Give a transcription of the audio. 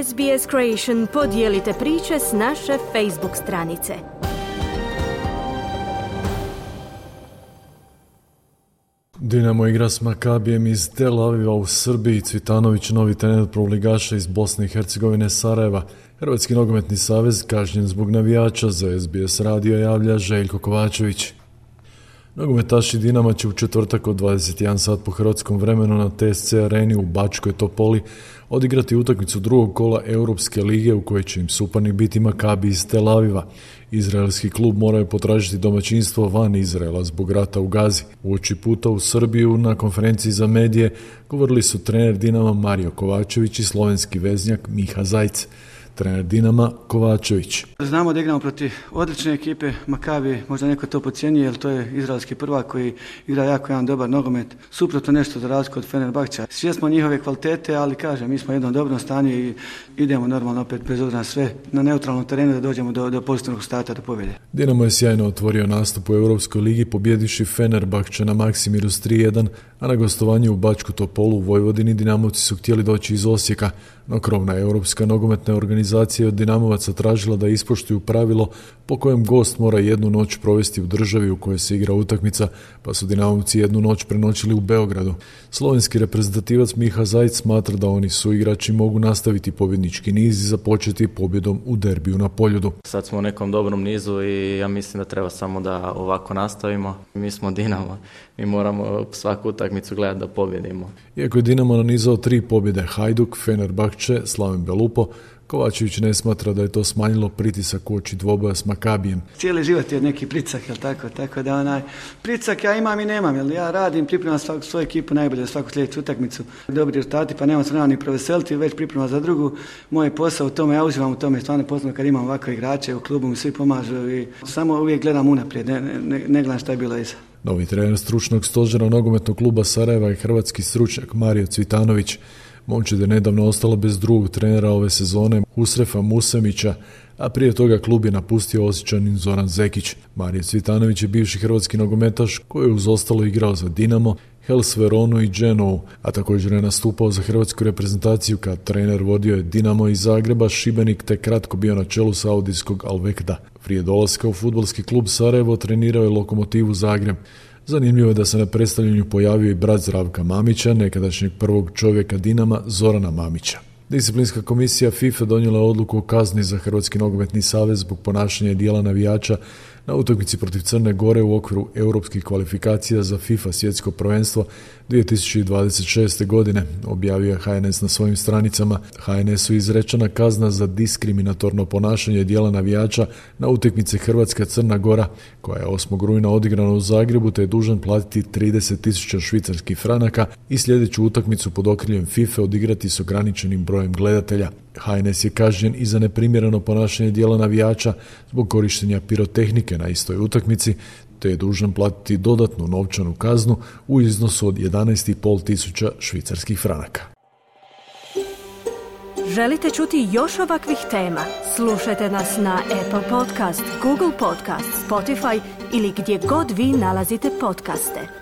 SBS Creation podijelite priče s naše Facebook stranice. Dinamo igra s Makabijem iz Tel Aviva u Srbiji. Cvitanović, novi trener prvoligaša iz Bosne i Hercegovine Sarajeva. Hrvatski nogometni savez kažnjen zbog navijača, za SBS radio javlja Željko Kovačević. Nogometaši Dinama će u četvrtak od 21 sat po hrvatskom vremenu na TSC areni u Bačkoj Topoli odigrati utakmicu drugog kola Europske lige u kojoj će im suparnik biti Makabi iz Tel Aviva. Izraelski klub moraju potražiti domaćinstvo van Izraela zbog rata u Gazi. Uoči puta u Srbiju na konferenciji za medije govorili su trener Dinama Mario Kovačević i slovenski veznjak Miha Zajc. Trener Dinama Kovačević. Znamo da igramo protiv odlične ekipe Makabi, možda neko to podcijenije, jer to je izraelski prvak koji igra jako jedan dobar nogomet, suprotno nešto za razliku od Fenerbahča. Svjesni njihove kvalitete, ali kažem, mi smo u jednom dobrom stanju i idemo normalno opet bez obzira na sve na neutralnom terenu da dođemo do pozitivnog starta, do pobjede. Dinamo je sjajno otvorio nastup u Europskoj ligi pobjedivši Fenerbahče na Maksimiru s 3:1, a na gostovanju u Bačku Topolu u Vojvodini Dinamovci su htjeli doći iz Osijeka, no krovna Europska nogometna organizacija od Dinamovaca tražila da ispoštuju pravilo po kojem gost mora jednu noć provesti u državi u kojoj se igra utakmica, pa su Dinamovci jednu noć prenoćili u Beogradu. Slovenski reprezentativac Miha Zajc smatra da oni suigrači mogu nastaviti pobjednički niz i započeti pobjedom u derbiju na Poljudu. Sad smo u nekom dobrom nizu i ja mislim da treba samo da ovako nastavimo. Mi smo Dinamo, mi moramo svaku utakmicu gledati da pobjedimo. Iako je Dinamo nanizao 3 pobjede Hajduk, Fenerbahče, Slaven Belupo, Kovačević ne smatra da je to smanjilo pritisak uoči dvoboja s Makabijem. Cijeli život je neki pritisak, jel tako da pritisak ja imam i nemam, jel ja radim, pripremam svoju ekipu najbolje za svaku sljedeću utakmicu. Dobri rezultati, pa nemam se ni proveseliti, već pripremam za drugu. Moj posao u tome, ja uživam u tome, stvarno poznam kad imam ovakve igrače u klubu, mi svi pomažu i samo uvijek gledam unaprijed, ne gledam šta je bilo iza. Novi trener stručnog stožera nogometnog kluba Sarajeva je hrvatski stručnjak Mario Cvitanović. Momčad je nedavno ostala bez drugog trenera ove sezone, Husrefa Musemića, a prije toga klub je napustio Osječanin Zoran Zekić. Mario Cvitanović je bivši hrvatski nogometaš koji je uz ostalo igrao za Dinamo, Hellas Veronu i Genovu, a također je nastupao za hrvatsku reprezentaciju kad trener vodio je Dinamo iz Zagreba, Šibenik te kratko bio na čelu saudijskog Al Vekda. Prije dolaska u fudbalski klub Sarajevo trenirao je Lokomotivu Zagreb. Zanimljivo je da se na predstavljanju pojavio i brat Zdravka Mamića, nekadašnjeg prvog čovjeka Dinama Zorana Mamića. Disciplinska komisija FIFA donijela je odluku o kazni za Hrvatski nogometni savez zbog ponašanja i dijela navijača na utakmici protiv Crne Gore u okviru europskih kvalifikacija za FIFA svjetsko prvenstvo 2026. godine, objavio je HNS na svojim stranicama. HNS-u izrečena kazna za diskriminatorno ponašanje dijela navijača na utakmici Hrvatska-Crna Gora, koja je 8. rujna odigrana u Zagrebu, te je dužan platiti 30.000 švicarskih franaka i sljedeću utakmicu pod okriljem FIFA odigrati s ograničenim brojem gledatelja. HNS je kažnjen i za neprimjereno ponašanje dijela navijača zbog korištenja pirotehnike na istoj utakmici, te je dužan platiti dodatnu novčanu kaznu u iznosu od 11.500 švicarskih franaka. Želite čuti još ovakvih tema? Slušajte nas na Apple Podcast, Google Podcast, Spotify ili gdje god vi nalazite podcaste.